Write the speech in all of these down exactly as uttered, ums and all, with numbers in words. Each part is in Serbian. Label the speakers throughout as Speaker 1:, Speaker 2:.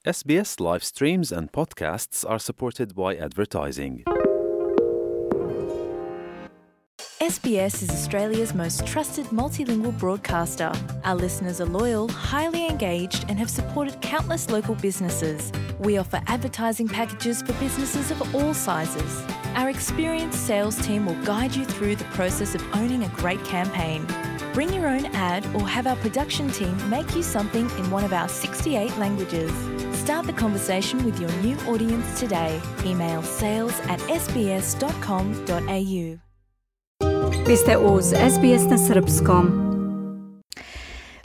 Speaker 1: S B S live streams and podcasts are supported by advertising.
Speaker 2: S B S is Australia's most trusted multilingual broadcaster. Our listeners are loyal, highly engaged, and have supported countless local businesses. We offer advertising packages for businesses of all sizes. Our experienced sales team will guide you through the process of owning a great campaign. Bring your own ad or have our production team make you something in one of our sixty-eight languages. Start the conversation with your new audience today. Email sales at s b s dot com dot a u.
Speaker 3: Vi ste uz S B S na srpskom.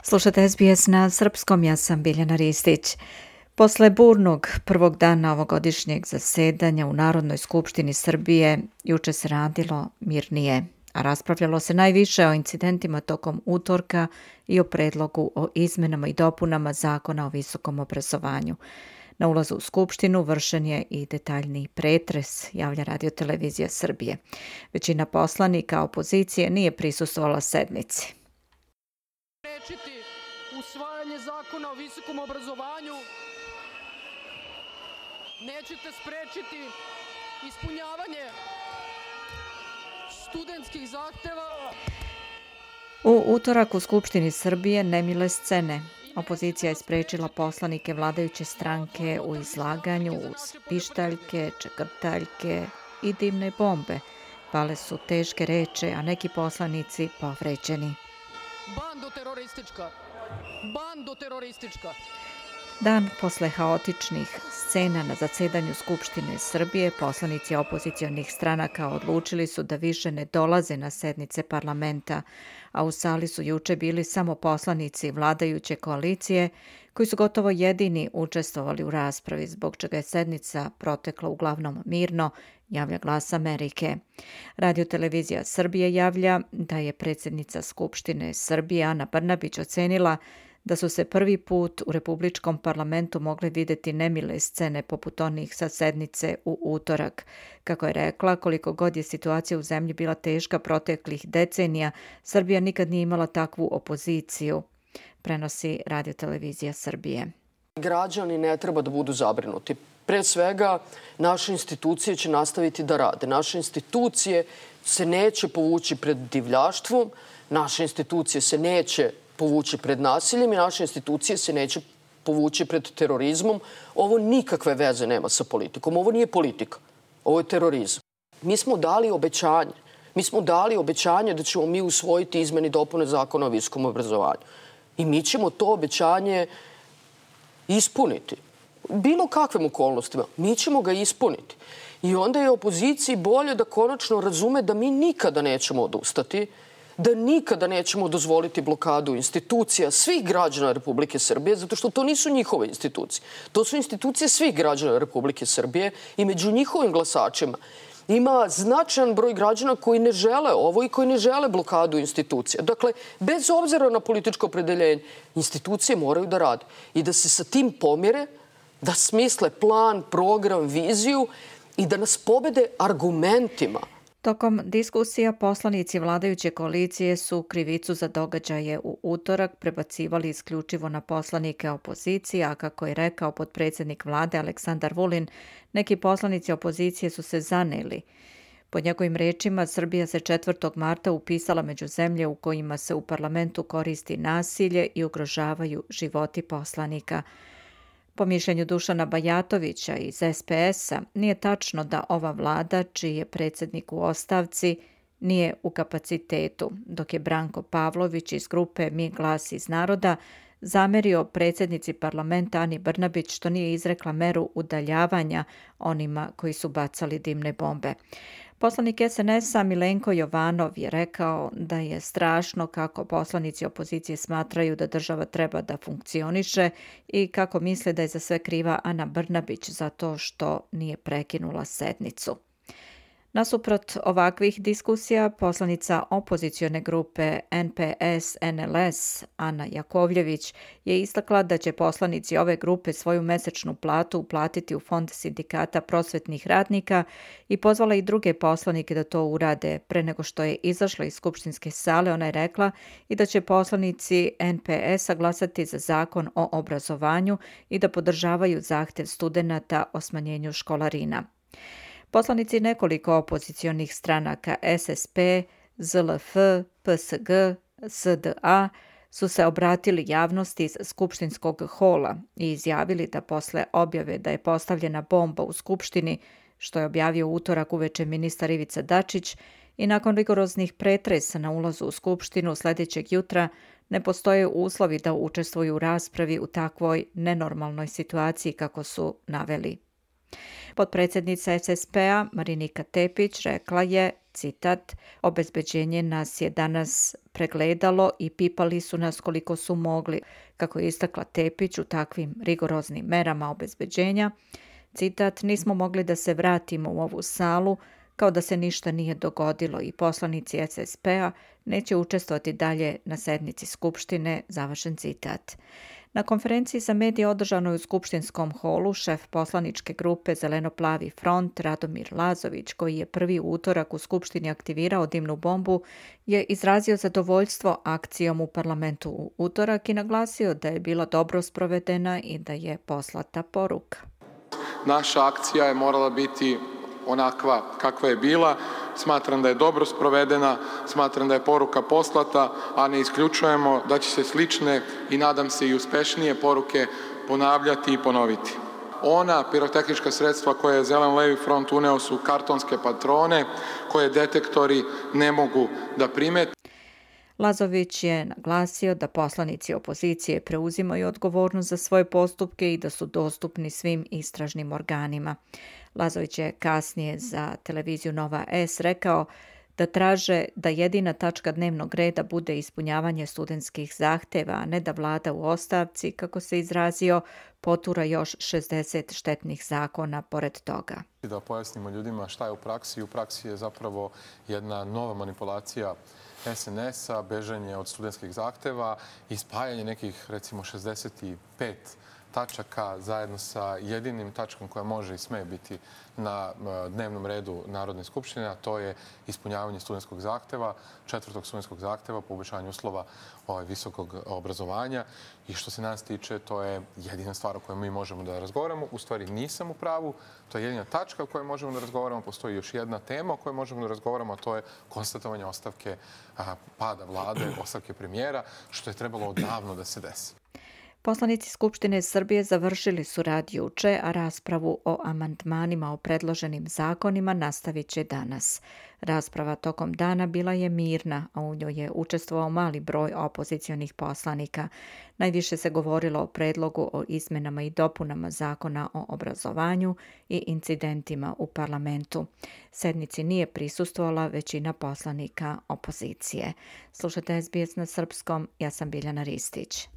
Speaker 3: Slušate S B S na srpskom, ja sam Biljana Ristić. Posle burnog prvog dana ovogodišnjeg zasedanja u Narodnoj skupštini Srbije, juče se radilo mirnije, a raspravljalo se najviše o incidentima tokom utorka i o predlogu o izmenama i dopunama Zakona o visokom obrazovanju. Na ulazu u Skupštinu vršen je i detaljniji pretres, javlja Radio-televizija Srbije. Većina poslanika opozicije nije prisustvovala sednici.
Speaker 4: Sprečiti usvajanje Zakona o visokom obrazovanju, nećete sprečiti ispunjavanje studentskih zahteva.
Speaker 3: U utorak u Skupštini Srbije nemile scene. Opozicija je sprečila poslanike vladajuće stranke u izlaganju uz pištaljke, čekrtaljke i dimne bombe. Pale su teške reči, a neki poslanici povređeni.
Speaker 4: Bando teroristička! Bando teroristička!
Speaker 3: Dan posle haotičnih scena na zasedanju Skupštine Srbije, poslanici opozicionih stranaka odlučili su da više ne dolaze na sednice parlamenta, a u sali su juče bili samo poslanici vladajuće koalicije, koji su gotovo jedini učestvovali u raspravi, zbog čega je sednica protekla uglavnom mirno, javlja Glas Amerike. Radio-televizija Srbije javlja da je predsjednica Skupštine Srbije Ana Brnabić ocenila da su se prvi put u Republičkom parlamentu mogle vidjeti nemile scene poput onih sa sednice u utorak. Kako je rekla, koliko god je situacija u zemlji bila teška proteklih decenija, Srbija nikad nije imala takvu opoziciju, prenosi Radio-televizija Srbije.
Speaker 4: Građani ne treba da budu zabrinuti. Pre svega, naše institucije će nastaviti da rade. Naše institucije se neće povući pred divljaštvom, naše institucije se neće povući pred nasiljem i naše institucije se neće povući pred terorizmom. Ovo nikakve veze nema sa politikom. Ovo nije politika. Ovo je terorizam. Mi smo dali obećanje. Mi smo dali obećanje da ćemo mi usvojiti izmene i dopune Zakona o visokom obrazovanju. I mi ćemo to obećanje ispuniti. Bilo kakvim okolnostima. Mi ćemo ga ispuniti. I onda je opoziciji bolje da konačno razume da mi nikada nećemo odustati, da nikada nećemo dozvoliti blokadu institucija svih građana Republike Srbije, zato što to nisu njihove institucije. To su institucije svih građana Republike Srbije i među njihovim glasačima ima značajan broj građana koji ne žele ovo i koji ne žele blokadu institucija. Dakle, bez obzira na političko opredeljenje, institucije moraju da rade i da se sa tim pomire, da smisle plan, program, viziju i da nas pobede argumentima.
Speaker 3: Tokom diskusija poslanici vladajuće koalicije su krivicu za događaje u utorak prebacivali isključivo na poslanike opozicije, a kako je rekao potpredsjednik vlade Aleksandar Vulin, neki poslanici opozicije su se zaneli. Po njegovim rečima, Srbija se četvrtog marta upisala među zemlje u kojima se u parlamentu koristi nasilje i ugrožavaju životi poslanika. Po mišljenju Dušana Bajatovića iz S P S-a, nije tačno da ova vlada, čiji je predsjednik u ostavci, nije u kapacitetu, dok je Branko Pavlović iz grupe Mi glas iz naroda zamerio predsjednici parlamenta Ani Brnabić što nije izrekla meru udaljavanja onima koji su bacali dimne bombe. Poslanik S N S-a Milenko Jovanov je rekao da je strašno kako poslanici opozicije smatraju da država treba da funkcioniše i kako misle da je za sve kriva Ana Brnabić zato što nije prekinula sednicu. Nasuprot ovakvih diskusija, poslanica opozicione grupe N P S N L S Ana Jakovljević je istakla da će poslanici ove grupe svoju mesečnu platu uplatiti u Fond sindikata prosvetnih radnika i pozvala i druge poslanike da to urade. Pre nego što je izašla iz skupštinske sale, ona je rekla i da će poslanici N P S-a glasati za zakon o obrazovanju i da podržavaju zahtev studenata o smanjenju školarina. Poslanici nekoliko opozicionih stranaka S S P, Z L F, P S G, S D A su se obratili javnosti iz skupštinskog hola i izjavili da posle objave da je postavljena bomba u Skupštini, što je objavio utorak uveče ministar Ivica Dačić, i nakon rigoroznih pretresa na ulazu u Skupštinu sljedećeg jutra ne postoje uslovi da učestvuju u raspravi u takvoj nenormalnoj situaciji kako su naveli. Potpredsjednica S S P-a Marinika Tepić rekla je, citat, obezbeđenje nas je danas pregledalo i pipali su nas koliko su mogli. Kako je istakla Tepić, u takvim rigoroznim merama obezbeđenja, citat, nismo mogli da se vratimo u ovu salu kao da se ništa nije dogodilo i poslanici S S P-a neće učestvovati dalje na sednici Skupštine, završen citat. Na konferenciji za medije održanoj u skupštinskom holu šef poslaničke grupe Zeleno-plavi front Radomir Lazović, koji je prvi utorak u Skupštini aktivirao dimnu bombu, je izrazio zadovoljstvo akcijom u parlamentu u utorak i naglasio da je bila dobro sprovedena i da je poslata poruka.
Speaker 5: Naša akcija je morala biti onakva kakva je bila. Smatram da je dobro sprovedena, smatram da je poruka poslata, a ne isključujemo da će se slične i nadam se i uspešnije poruke ponavljati i ponoviti. Ona pirotehnička sredstva koje je Zeleno-levi front uneo su kartonske patrone koje detektori ne mogu da primete.
Speaker 3: Lazović je naglasio da poslanici opozicije preuzimaju odgovornost za svoje postupke i da su dostupni svim istražnim organima. Lazović je kasnije za televiziju Nova S rekao da traže da jedina tačka dnevnog reda bude ispunjavanje studentskih zahteva, a ne da vlada u ostavci, kako se izrazio, potura još šezdeset štetnih zakona pored toga.
Speaker 5: Da pojasnimo ljudima šta je u praksi. U praksi je zapravo jedna nova manipulacija S N S-a, bežanje od studentskih zahteva i spajanje nekih, recimo, šezdeset pet tačaka zajedno sa jedinim tačkom koja može i sme biti na dnevnom redu Narodne skupštine, a to je ispunjavanje studentskog zahteva, četvrtog studentskog zahteva, poboljšanje uslova ovaj, visokog obrazovanja. I što se nas tiče, to je jedina stvar o kojoj mi možemo da razgovaramo. U stvari nisam u pravu, to je jedina tačka o kojoj možemo da razgovaramo. Postoji još jedna tema o kojoj možemo da razgovaramo, a to je konstatovanje ostavke a, pada vlade, ostavke premijera, što je trebalo odavno da se desi.
Speaker 3: Poslanici Skupštine Srbije završili su rad juče, a raspravu o amandmanima o predloženim zakonima nastavit će danas. Rasprava tokom dana bila je mirna, a u njoj je učestvovao mali broj opozicionih poslanika. Najviše se govorilo o predlogu o izmenama i dopunama zakona o obrazovanju i incidentima u parlamentu. Sednici nije prisustvovala većina poslanika opozicije. Slušajte S B S na srpskom, ja sam Biljana Ristić.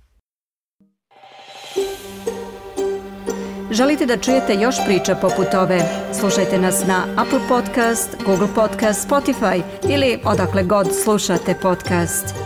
Speaker 3: Želite da čujete još priča poput ove? Slušajte nas na Apple Podcast, Google Podcast, Spotify ili odakle god slušate podcast.